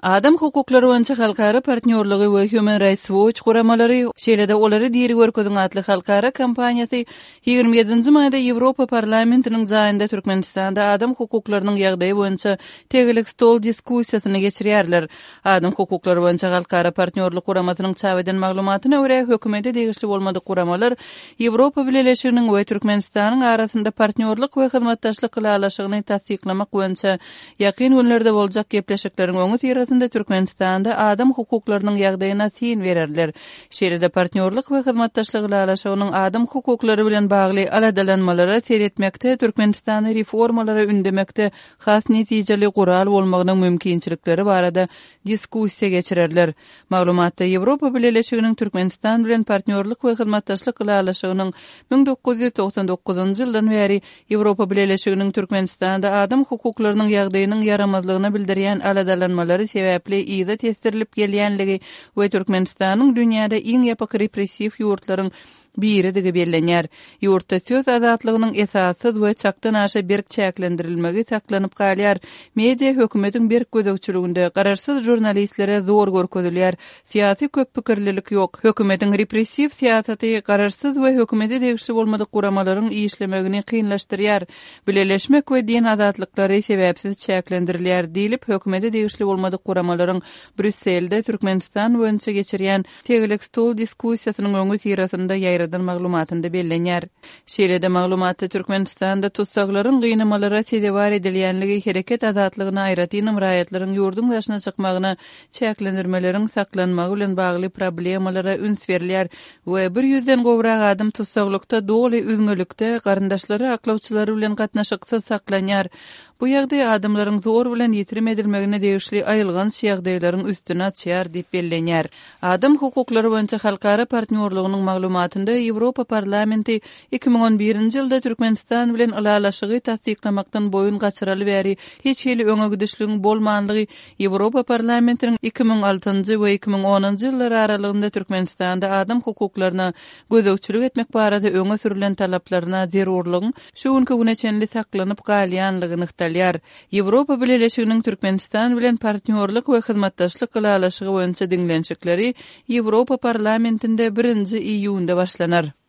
Adam hukuklary boýunça halkara partnýorlygy we Human Rights Watch guramalary, şeýle-de Olary diri görkeziň atly halkara kampaniýasy 27-nji maýda Ýewropa Parlamentiniň jaýynda Türkmenistanda adam hukuklarynyň ýagdaýy boýunça tegelek stol diskussiýasyny geçirýärler. Adam hukuklary boýunça halkara partnýorlyk guramasynyň çap eden maglumatyna görä, hökümete degişli bolmadyk guramalar Ýewropa Bileleşiginiň we Türkmenistanyň arasynda partnýorlyk we hyzmatdaşlyk ylalaşygyny tassyklamak boýunça ýakyn günlerde boljak gepleşikleriň öňüsyrasynda Türkmenistanda adam hukuklarynyň ýagdaýyna syn bererler. Şeýle-de partnýorlyk we hyzmatdaşlyk ylalaşygynyň adam hukuklary bilen bagly aladalanmalara seretmekde Türkmenistany reformalara ündemekde has netijeli gural bolmagynyň mümkinçilikleri barada diskussiýa geçirerler. Maglumatda Ýewropa Bileleşiginiň Türkmenistan bilen partnýorlyk we hyzmatdaşlyk ylalaşygynyň 1999-njy ýyldan bäri Ýewropa Bileleşiginiň Türkmenistanda adam hukuklarynyň ýagdaýynyň ýaramazlygyna bildirýän aladalanmalary sebäpli yza tesdirilip gelýänligi we Türkmenistanyň dünýäde iň ýapyk repressiw ýurtlaryň biridigi bellenýär. Ýurtda söz azatlygynyň esassyz we çakdan aşa berk çäklendirilmegi saklanyp galýar. Media hökümetiň berk gözegçiliginde, garaşsyz žurnalistlere zor görkezilýär. Syýasy köppikirlilik ýok. Hökümetiň repressiw syýasaty garaşsyz we hökümete degişli bolmadyk guramalaryň işlemegini kynlaşdyrýar. Bileleşmek we din azatlyklary sebäpsiz çäklendirilýär diýlip, hökümete degişli bolmadyk guramalaryň Brýusselde Türkmenistan boýunça geçirýän Tegelek stol diskussiýasynyň öňüsyrasynda ýaýradan maglumatynda bellenýär. Şeýle-de maglumatda Türkmenistanda tussaglaryň gynamalara sezewar edilýänligi, hereket azatlygyna, aýratynam raýatlaryň ýurduň daşyna çykmagyna çäklendirmeleriň saklanmagy bilen bagly problemalara üns berilýär we bir ýüzden gowrak adam tussaglykda doly üzňelikde, garyndaşlary, aklawçylary bilen gatnaşyksyz saklanýar. Bu ýagdaý adamlaryň zor bilen ýitirim edilmegine degişli aýylganç ýagdaýlaryň üstüni açýar diýip bellenýär. Adam hukuklary boýunça halkara partnýorlygynyň maglumatynda Ýewropa Parlamenti 2011-nji ýylda Türkmenistan bilen ylalaşygy tassyklamakdan boýun gaçyraly bäri hiç hili öňe gidişligiň bolmanlygy Ýewropa Parlamentiniň 2006-njy we 2010-njy ýyllar aralygynda Türkmenistanda adam hukuklaryna gözegçilik etmek barada öňe sürlen talaplaryna zerurlygyň şu günki güne çenli saklanyp galýanlygy nygtalýar. Ýewropa Bileleşiginiň Türkmenistan bilen partnýorlyk we hyzmatdaşlyk ylalaşygy boýunça diňlenişikleri Ýewropa Parlamentinde birinji iýunda başlanar.